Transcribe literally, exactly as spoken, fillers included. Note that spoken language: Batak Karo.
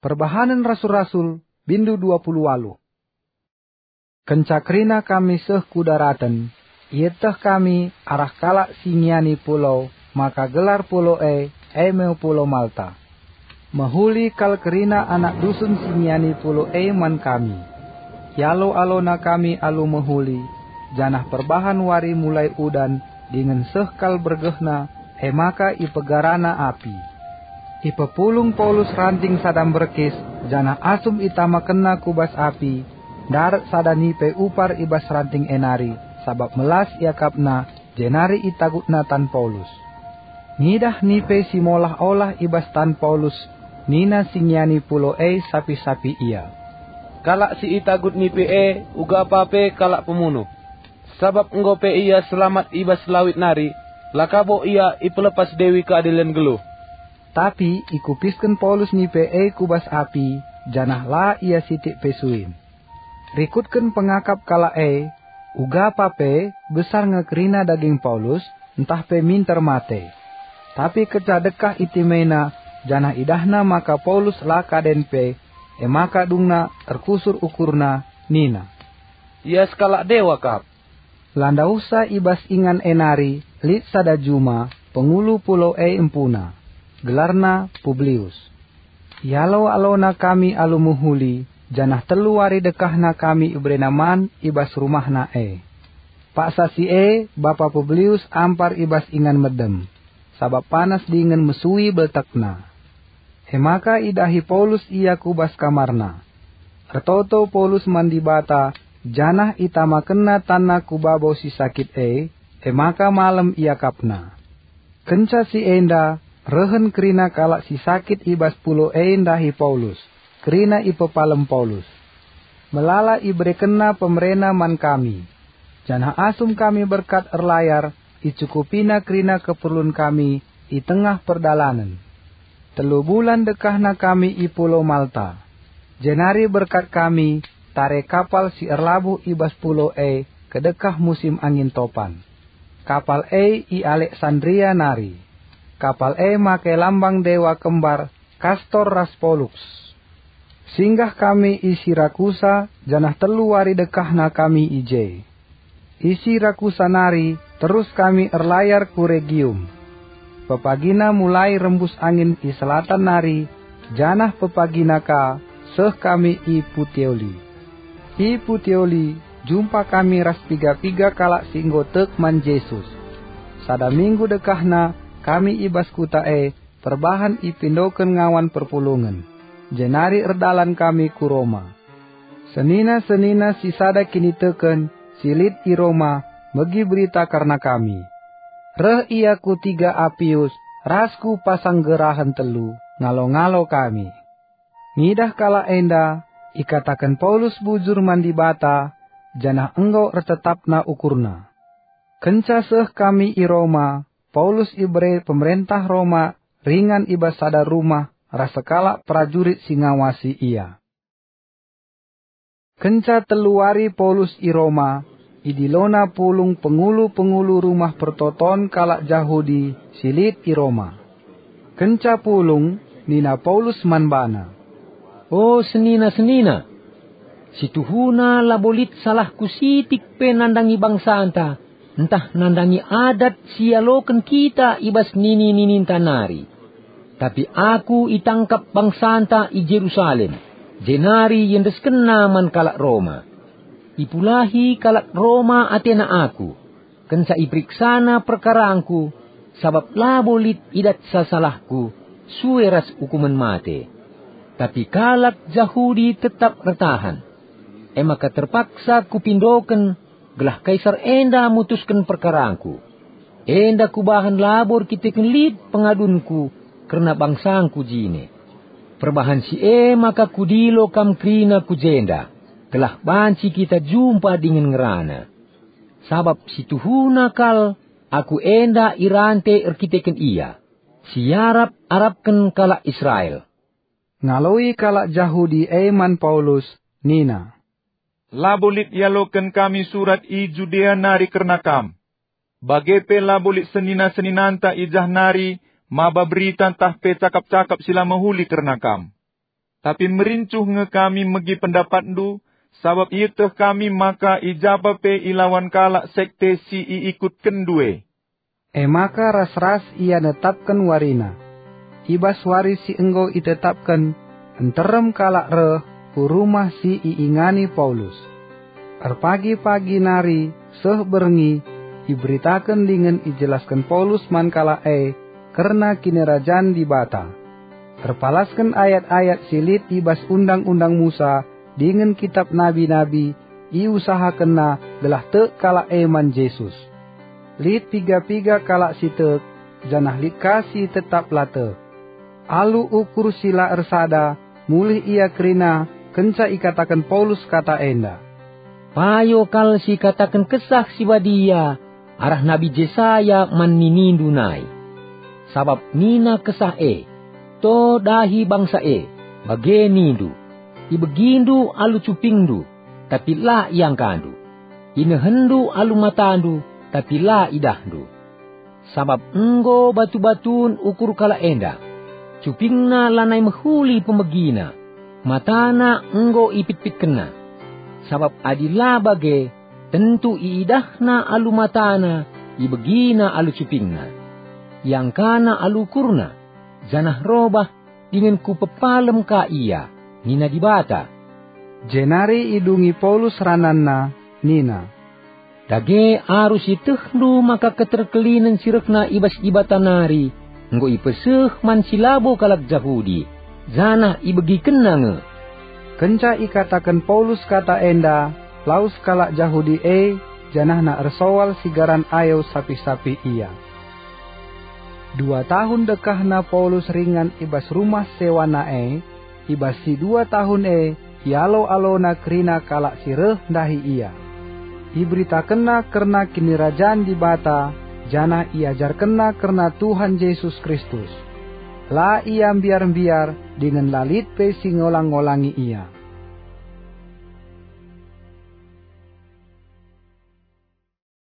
Perbahanen Rasul-Rasul, bindu dua puluh waluh. Kenca kerina kami seh ku daraten, ieteh kami arah kalak si ngiani pulau, maka gelar pulau e, e me Pulau Malta. Mehuli kal kerina anak dusun si ngiani pulau e man kami. Ialo-alona kami alu mehuli, janah perbahan wari mulai udan dingen seh kal bergehna, e maka ipegarana api. Ipepulung Paulus ranting sada mberkis, janah asum itamakenna ku bas api, ndarat sada nipe upar i bas ranting e nari, sabap melas iakapna, jenari itagutna tan Paulus. Ngidah nipe si molah-olah i bas tan Paulus, nina si ngiani pulau e sapih-sapih ia, "Kalak si itagut nipe e uga pa pe kalak pemunuh. Sabap enggo pe ia selamat i bas lawit nari, la ka bo ia ipelepas Dewi Keadilen geluh." Tapi ikupisken Paulus nipe e ku bas api, janah la ia sitik pe suin. Rikutken pengakap kalak e, uga pa pe besar nge kerina daging Paulus, ntah pe minter mate. Tapi kenca dekah itimena, janah idahna maka Paulus la kaden pe, e maka dungna erkusur ukurna, nina, "Ia sekalak dewa kap." La ndauhsa i bas ingan e nari lit sada juma, pengulu pulau e empuna, gelarna Publius. Ialo-alona kami alu mehuli, janah telu wari dekahna kami iberena man i bas rumahna e. Paksa si e, bapa Publius ampar i bas ingan medem, sabap panas dingen mesui beltekna. E maka idahi Paulus ia ku bas kamarna. Ertoto Paulus man Dibata, janah itamakenna tanna ku babo si sakit e, e maka malem iakapna. Kenca si enda, rehen kerina kalak si sakit i bas pulau e ndahi Paulus, kerina ipepalem Paulus. Melala iberekenna pemerena man kami, janah asum kami berkat erlayar, icukupina kerina keperlun kami i tengah perdalanen. Telu bulan dekahna kami i Pulau Malta. Jenari berkat kami tare kapal si erlabuh i bas pulau e kedekah musim angin topan. Kapal e i Aleksandria nari. Kapal e make lambang dewa kembar Kastor ras Poluks. Singgah kami i Sirakusa, janah telu wari dekahna kami i je. I Sirakusa nari terus kami erlayar ku Regium. Pepagina mulai rembus angin i selatan nari, janah pepagina ka seh kami i Puteoli. I Puteoli jumpa kami ras piga-piga kalak si enggo tek man Jesus. Sada minggu dekahna kami i bas kuta e, perbahan ipindoken ngawan perpulungen, jenari erdalan kami ku Roma. Senina-senina si sada kiniteken si lit i Roma megi berita kerna kami. Reh ia ku Tiga Apius ras ku Pasanggerahen Telu, ngalo-ngalo kami. Ngidah kalak enda, ikataken Paulus bujur man Dibata, janah enggo ertetapna ukurna. Kenca seh kami i Roma, Paulus ibere pemerentah Roma ringan i bas sada rumah ras sekalak perajurit si ngawasi ia. Kenca telu wari Paulus i Roma, idilona pulung pengulu-pengulu rumah pertoton kalak Jahudi si lit i Roma. Kenca pulung, nina Paulus man bana, "O senina-senina, si tuhuna labo lit salahku sitik pe nandangi bangsanta, ntah nandangi adat si ialoken kita i bas nini-nininta nari. Tapi aku itangkap bangsanta i Jerusalem, jenari iendeskenna man kalak Roma. Ipulahi kalak Roma atena aku, kenca iperiksana perkarangku, sabap labo lit idatsa salahku, sue ras ukumen mate. Tapi kalak Jahudi tetap ertahan. E maka terpaksa kupindoken gelah Kaisar enda mutusken perkarangku. Enda kubahan labo erkiteken lit pengadunku kerna bangsangku jine. Perbahan si e maka kudilo kam kerina ku jenda, gelah banci kita jumpa dingen ngerana. Sabap si tuhuna kal aku enda irante erkiteken ia, si iarap-arapken kalak Israel." Ngaloi kalak Jahudi e man Paulus, nina, "Labo lit ialoken kami surat i Judea nari kerna kam. Bage pe labo lit senina-seninanta i jah nari maba berita ntah pe cakap-cakap si la mehuli kerna kam. tapi merincuh nge kami megi pendapatndu, sabap ieteh kami maka i japa pe ilawan kalak sekte si iikutkenndu e." E maka ras-ras ia netapken warina. I bas wari si enggo itetapken, nterem kalak reh ku rumah si iingani Paulus. Erpagi-pagi nari seh berngi, iberitaken dingen ijelasken Paulus man kalak e kerna Kinirajan Dibata. Erpalasken ayat-ayat si lit i bas Undang-undang Musa dingen Kitap Nabi-nabi, iusahakenna gelah tek kalak e man Jesus. Lit piga-piga kalak si tek, janah lit ka si tetap la tek. Alu ukur si la ersada, mulih ia kerina kenca ikataken Paulus kata enda, "Payo kal si ikataken Kesah Si Badia arah Nabi Jesaya man ninindu nai. Sabap nina Kesah e, 'To dahi bangsa e, bage nindu, ibegindu alu cupingndu, tapi la iangkandu. Inehenndu alu matandu, tapi la idahndu. Sabap enggo batu-batun ukur kalak enda. Cupingna lanai mehuli pemegina, matana enggo ipitpitkenna. Sabap adi la bage, tentu iidahna alu matana, ibegina alu cupingna. Iangkana alu ukurna, janah robah dingen kupepalem ka ia,' nina Dibata." Jenari idungi Paulus rananna, nina, "Dage arus ietehndu maka keterkelinen si rehna i bas Dibata nari enggo ipeseh man si labo kalak Jahudi, janah ibegikenna nge." Kenca ikataken Paulus kata enda, lawes kalak Jahudi e, janahna ersoal sigaran ayo sapih-sapih ia. Dua tahun dekahna Paulus ringan i bas rumah sewana e. I bas si dua tahun e, ialo-alona kerina kalak si reh ndahi ia. Iberitakenna kerna Kinirajan Dibata, janah iajarkenna kerna Tuhan Jesus Kristus. La ia mbiar-mbiar dingen la lit pe si ngolang-ngolangi ia.